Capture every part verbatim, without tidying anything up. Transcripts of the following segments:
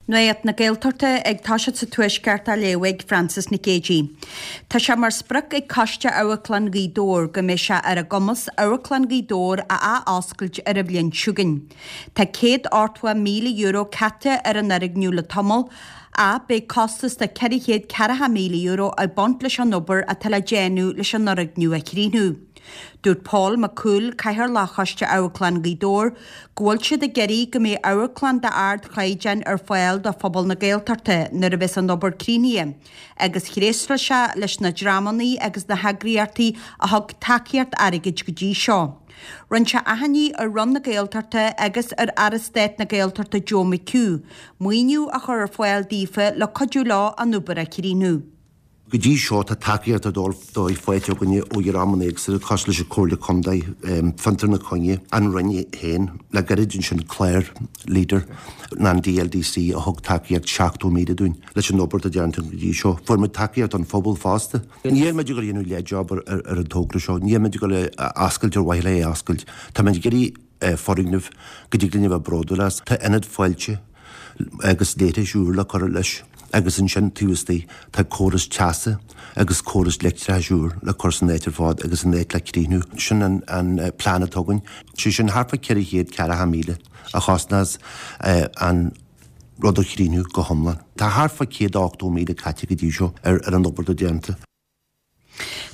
Nuacht na Gaeltachta ag toiseacht sa Tuaisceart á léamh ag Frances Nic Géadaigh. Tá sé mar sprioc ag Coiste Amharclann Ghaoth Dobhair go mbeidh sé ar a gcumas Amharclann Ghaoth Dobhair a athoscailt ar an bhliain seo chugainn. Tá céad ochtó míle euro caite ar an fhoirgneamh le tamall, ach beidh costas de ceithre chéad ceathracha míle euro ag baint leis an obair atá le déanamh leis an fhoirgneamh a chríochnú. Dúirt Paul Mac Cumhaill, Cathaoirleach Choiste Amharclann Ghaoth Dobhair, go bhfuil siad ag iarraidh go mbeidh amharclann d'ardchaighdeán ar fáil do phobal na Gaeltachta nuair a bheas an obair críochnaithe, agus thréaslaigh sé leis na dreamanna agus na heagraíochtaí a thug tacaíocht airgid go dtí seo. Rinne sé achainí ar Roinn na Gaeltachta agus ar Aire Stáit na Gaeltachta Joe McHugh maoiniú a chur ar fáil daofa le cuidiú leo an obair a chríochnú. Go dtí seo tá tacaíocht ar dóigh faighte againne ó dhreamanna éagsúla cosúil leis an Comhairle Contae, Fiontar na Coinne, an Roinn féin, le gairid ansin clár Leader ná an DLDC a thug tacaíocht seachtó míle dúinn leis an obair atá déanta go dtí seo. Fuair muid tacaíocht ón phobal fosta. Níl muid ag dul a dhéanamh leath-job ar an togra seo, níl muid ag dul a oscailt ar mhaithe le é a oscailt. Tá muid ag iarraidh foirgneamh go dtig linn a bheith bródúil as. Tá ionad fáilte agus leithris úr le cur leis agus ansin taobh istigh tá córas teasa agus córas leictreachais úr le cur san áit ar fad agus an áit le críochnú. Sin an an plean atá againn. Sé sin thart fá ceithre chéad ceathracha míle a chosnós an rud a chríochnú go hiomlán. Tá thart fá céad ochtó míle caite go dtí seo ar ar an obair atá déanta.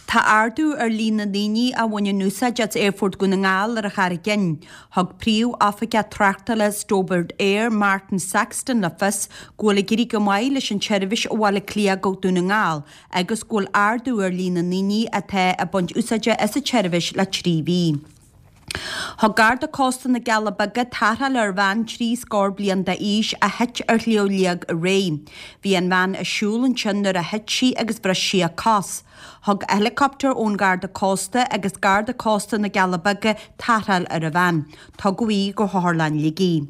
Tá ardú ar líon na ndaoine a bhaineann úsáid as Aerfort Dhún na nGall ar an Charraig Fhinn. Thug Príomh-Oifigeach Tráchtála Stobart Air, Martin Saxton le fios go bhfuil ag éirí go maith leis an tseirbhís ó Bhaile Átha Cliath go Dún na nGall agus go bhfuil ardú ar líon na ndaoine atá ag baint úsáide as an tseirbhís le trí mhí. Thug Garda Cósta na gCealla Beaga tarrtháil ar bhean trí scór bliain d'aois a thit ar Shliabh Liag aréir. Bhí an bhean ag siúl ansin nuair a thit sí agus bhris sí a cos. Thug helicopter ón Gharda Cósta agus Garda Cósta na gCealla Beaga tarrtháil ar an bhean. Tugadh í go hOtharlann Shligigh.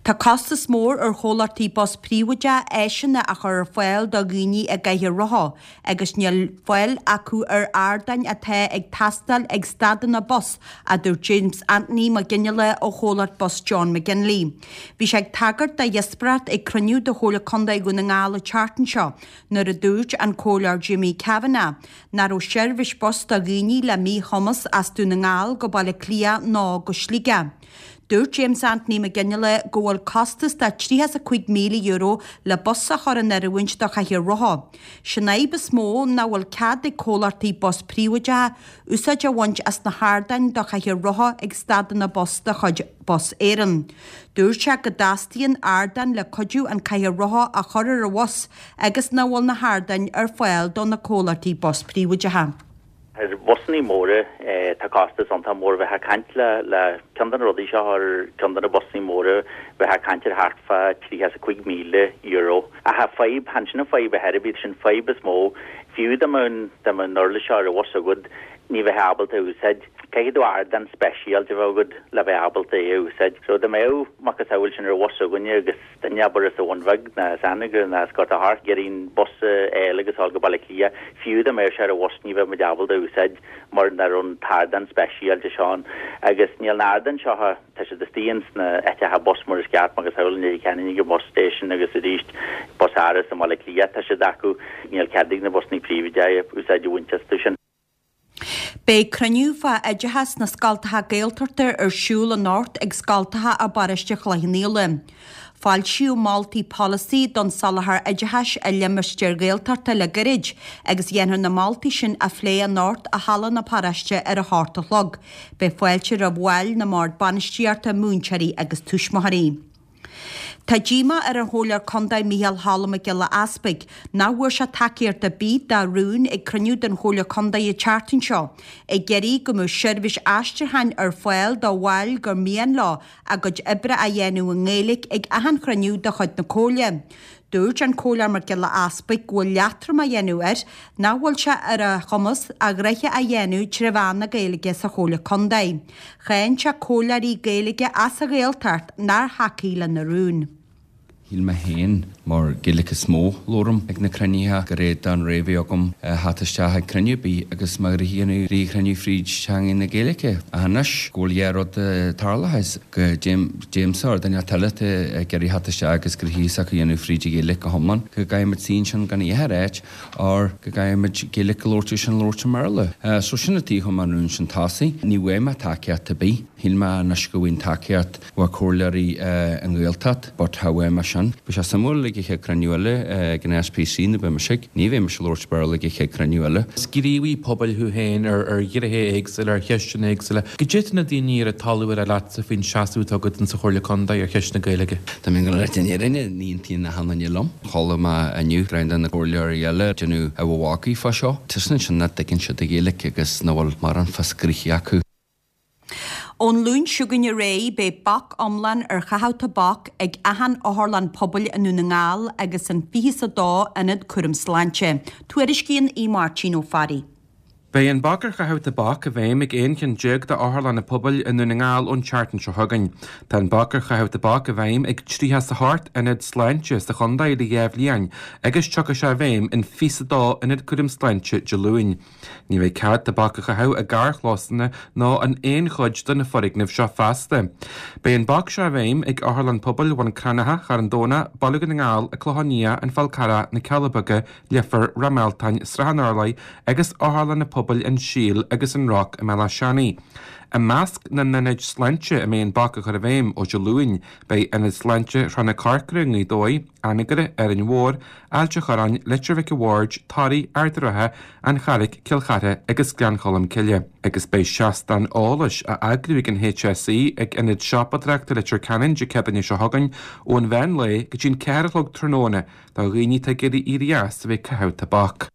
Tá costas mór ar chomhlachtaí bus príobháideach áiseanna a chur ar fáil do dhaoine i gcathaoir rotha agus níl fáil acu ar ardáin atá ag teastáil ag stadanna bus, a dúirt James Anthony Mac Fhionnghaile ó chomhlacht bus John McGinley. Bhí sé ag tagairt do dhíospóireacht ag cruinniú de Chomhairle Contae Dhún na nGall an tseachtain seo nuair a dúirt an Comhairleoir Jimmy Kavanagh nach raibh seirbhís bus do dhaoine le míchumas as Dún na nGall go Baile Átha Cliath ná go Sligeach. Dúirt James Anthony Mac Fhionnghaile go bhfuil costas de tríocha is a cúig míle euro le bus a chur in oiriúint do chathaoir rotha. Sin fhadhb is mó nach bhfuil cead ag comhlachtaí bus príobháideacha úsáid a bhaint as na hardáin do chathaoir rotha ag stadanna bus de chuid Bus Éireann. Dúirt sé go dteastaíonn ardáin le cuidiú an cathaoir rotha a chur ar an bhus agus nach bhfuil na hardáin ar fáil do na comhlachtaí bus príobháideacha. Ar bhusannaí móra tá costas iontach mór bheith ag caint le le ceann de na rudaí seo ar ceann de na busannaí móra bheith ag caint ar thart fá tríocha is a cúig míle euro. Ach tá fadhb, chan sin an fadhb ar chor ar bith, sin fadhb is mó. Fiú dá mbeadh dá mbeadh an uirlis seo ar an bhus agat ní bheifeá ábalta a úsáid. Caithfidh tú ardán speisialta a bheith agat le bheith ábalta é a úsáid. So dá mbeadh macasamhail sin ar an bhus againne agus duine abair as an Bhun Bheag ná as Anagaire ná as Gort a' Choirce ag iarraidh an bus a fháil agus a dhul go Baile Átha Cliath, fiú dá mbeadh sé ar an bhus ní bheadh muid ábalta a úsáid mar nach raibh an t-ardán speisialta seo ann. Agus níl na hardáin seo, tá siad istigh ins na áiteacha bus mar is ceart, macasamhail i Leitir Ceanainn ag an bus station agus arís Bus Áras i mBaile Átha Cliath tá siad acu, níl cead ag na busannaí príobháideacha úsáid a bhaint astu sin. Beidh cruinniú fá oideachas na scoltacha Gaeltachta ar siúl anocht ag scoltacha i bparóiste Chloich Cheann Fhaola. Foilsíodh moltaí polasaí don soláthar oideachais i limistéir Ghaeltachta le gairid agus dhéanfar na moltaí sin a phlé anocht i halla na paróiste ar a hocht a chlog. Beidh fáilte roimh bhaill na mbord bainistíochta, múinteoirí agus tuismitheoirí. Tá díomá ar an Chomhairleoir Contae Micheál Cholm Mac Giolla Easpaig nach bhfuair sé tacaíocht ar bith dá rún ag cruinniú den Chomhairle Contae an tseachtain seo ag iarraidh go mbeadh seirbhís aistriúcháin ar fáil do bhaill gur mian leo a gcuid oibre a dhéanamh i nGaeilge ag achan chruinniú de chuid na Comhairle. Dúirt an Comhairleoir Mac Giolla Easpaig go bhfuil leatrom á dhéanamh air nach bhfuil sé ar a chumas a ghnoithe a dhéanamh tré mheán na Gaeilge sa Chomhairle Contae. Cháin sé comhairleoirí Gaeilge as an Ghaeltacht nár thacaigh lena rún. Shíl mé féin, mar Gaeilge is mó labhraim ag na cruinnithe, go raibh don ré bhí agam theacht isteach ag cruinniú ar bith agus mo ghnoithe a dhéanamh rí chruinniú fríd teanga na Gaeilge. Ach anois go bhfuil dhá rud tarlaithe is go dtéimse ar duine eile atá ag iarraidh theacht isteach agus gnoithe s'acu a dhéanamh fríd an Ghaeilge go hiomlán, go gcaithfimid suí ansin gan a dhath a ráit or go gcaithfimid Gaeilge a labhairt agus sin labhairt i mBéarla. So sin an tuige a chuir mé an rún sin tosaigh. Ní bhfuair mé tacaíocht ar bith. Shíl mé anois go bhfuil tacaíocht ó chomhairleoirí an Ghaeltacht but cha bhfuair mé sin. Bhí sé suimiúil ag an chéad cruinniú eile ag an SPC na beidh mise ní bheidh mise ag labhairt Béarla ag an chéad cruinniú eile. Is gníomhaí pobail thú féin ar ar ghnéithe éagsúla, ar cheisteanna éagsúla. Goidé tá na daoine ar an talamh ag rá leatsa faoin seasamh atá agat insa Chomhairle Contae ar cheist na Gaeilge? Tá mé ag dul a rá an fhírinne, ní aontaíonn achan duine liom. Chuala mé inniu roinnt de na comhairleoirí eile ag déanamh a mhagaidh fá seo. Tuiscint sin nach dtuigeann siad an Ghaeilge agus nach bhfuil mórán fios gnoithe acu. Ón Luan seo chugainn ar aghaidh, beidh bac iomlán ar chaitheamh tobac ag achan otharlann pobail i nDún na nGall agus in fiche is a dó ionad cúram sláinte. Tuairiscíonn Aodh Máirtín Ó Fearraigh. Beidh an bac ar chaitheamh tobac i bhfeidhm ag aon cheann déag d'otharlanna pobail i nDún na nGall ón tseachtain seo chugainn. Tá an bac ar chaitheamh tobac i bhfeidhm ag tríocha is a hocht ionad sláinte sa chontae le dhá bhliain agus tiocfaidh sé i bhfeidhm in fiche is a dó ionad cúram sláinte Dé Luain. Ní bheidh cead tobac a chaitheamh i gcarrchlósanna ná in aon chuid de na foirgnimh seo feasta. Beidh an bac seo i bhfeidhm ag Otharlann Pobail Bhun Cranncha, Charn Domhnach, Baile Dhún na nGall, An Clochán Liath, An Fál Carrach, Na Cealla Beaga, Leifear, Ráth Mealtain, Srath an Urláir agus Otharlanna Pobail An Síol agus An Roc i mBéal Átha Seanaidh. I measc na n-ionad sláinte a mbeidh an bac á chur i bhfeidhm ó Dé Luain, beidh Ionad Sláinte Thrá na Corcra i nGaoth Dobhair, Anagaire, Árainn Mhór, Ailt an Chorráin, Leitir Mhic an Bhaird, Toraigh, Ard an Rátha, An Charraic, Cill Chartha agus Gleann Cholm Cille. Agus beidh seastán eolais á eagrú ag an HSE ag Ionad Siopadóireachta Leitir Ceanainn Dé Céadaoine seo chugainn ón mheán lae go dtí an ceathair a chlog tráthnóna do dhaoine atá ag iarraidh éirí as a bheith ag caitheamh tobac.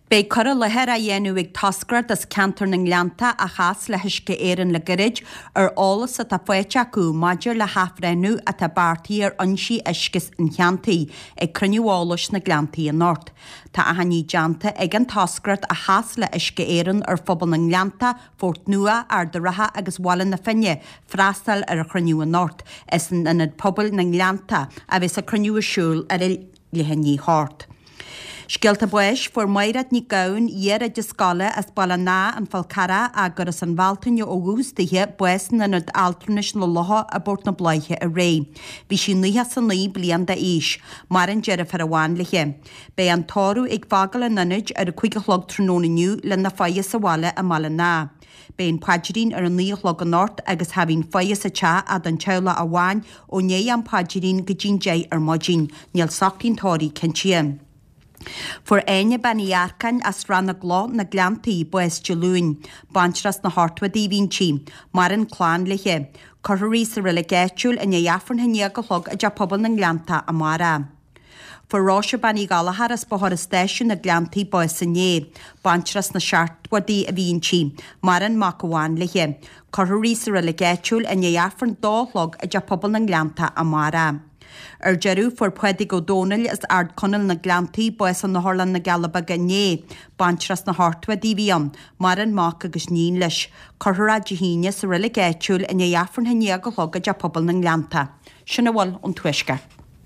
Beidh cur i láthair á dhéanamh ag toscaireacht as ceantar na nGleannta a chas le hUisce Éireann le gairid ar eolas atá faighte acu maidir le hathbhreithniú atá beartaithe ar fhoinsí uisce an cheantair ag cruinniú eolais sna Gleanntaí anocht. Tá achainí déanta ag an toscaireacht a chas le hUisce Éireann ar phobal na nGleannta, Phort Nua, Ard an Rátha agus Bhaile na Finne freastal ar an chruinniú anocht. Is in Ionad Pobail na nGleannta a bheas an cruinniú ar siúl ar a leath i ndiaidh a hocht. Scéalta báis, Fuair Mairéad Nic Gabhann, iar-oide scoile as Baile an Átha, An Fál Carrach, gur as an Bhealtaine ó dhúchas dithe, bás in Ionad Altranais na Locha i bPort na Bláiche aréir. Bhí sí nócha is a naoi bliain d'aois. Maireann deirfiúr amháin léi. Beidh an tórramh ag fágáil an ionaid ar a cúig a chlog tráthnóna inniu lena faire sa bhaile i mBaile an Átha. Beidh an paidrín ar a naoi a chlog anocht agus tha bhí'n faire sa teach ach don teaghlach amháin ó ndiaidh an phaidrín go dtí'n deich ar maidin. Níl socraí an tórraimh cinntithe. Fuair Áine Bean Uí Earcáin as Srath na gCloch, Na Gleanntaí, bás Dé Luain. Baintreach sna hochtóidí a bhí inti. Maireann clann léi. Cuirfear í sa reilig áitiúil i ndiaidh Aifreann a haon déag a chlog i dTeach Pobail na nGleannta amárach. Fuair Róise Bean Uí Ghallchóir as Bóthar an Stáisiúin, Na Gleanntaí, bás inné. Baintreach sna seachtóidí a bhí inti. Maireann mac amháin léi. Cuirfear í sa reilig áitiúil i ndiaidh Aifreann dó a chlog i dTeach Pobail na nGleannta amárach. Ar deireadh, fuair Pádraig Ó Dónaill as Ard Conaill na Gleanntaí bás in Otharlann na gCealla Beaga inné. Baintreach sna hochtóidí a bhí ann. Maireann mac agus níon leis. Cuirfear é Dé hAoine sa reilig áitiúil i ndiaidh Aifreann a haon déag a chlog i dTeach Pobail na nGleannta. Sin a bhfuil ón Tuaisceart.